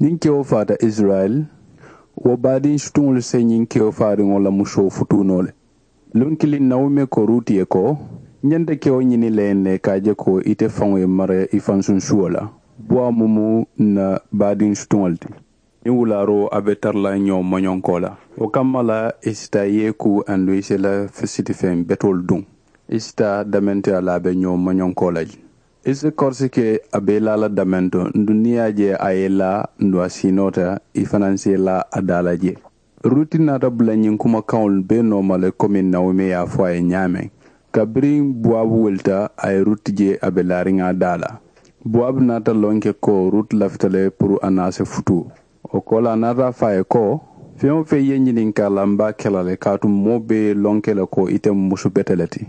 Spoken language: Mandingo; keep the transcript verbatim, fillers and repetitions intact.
Niŋ kewo faata isirayila, wo baadiŋ sutuŋolu se ñiŋ kewo faariŋo la musoo futuu noo le. Luŋ kiliŋ nawume ko ruuti ye ko, n ñanta kewo ñini la ye ne ka a je ko ite faŋo ye mara i fansuŋ suwo la. Buwaa mumu n na baadiŋ sutuŋo le ti. Niŋ wulaaroo a be tara la ñoo moñonkoo la. Wo kamma la i si taa yeeku anduŋ i si i la siti feŋ betoolu duŋ. I si taa damente a la a be ñoo moñonkoo la je. I si korosi ke a be i la a la damento nduŋ niŋ i ye a je a ye i la nduŋ a siinoota i fanaŋ si i la a daa la je. Ruti naata bula ñiŋ kumakaŋolu bee nooma le komi nawume ye a fo a ye ñaameŋ. Kabiriŋ buwaabu wulita a ye ruti je a be laariŋ a daa la. Buwaabu naata lonke ko ruti lafita le puru a naa se futuu. Wo koolaa naata a fo a ye ko, feŋ-wo-feŋ ye ñininkaa la m be a ke la le kaatu moo bee ye lonke le ko ite mu musu bete le ti.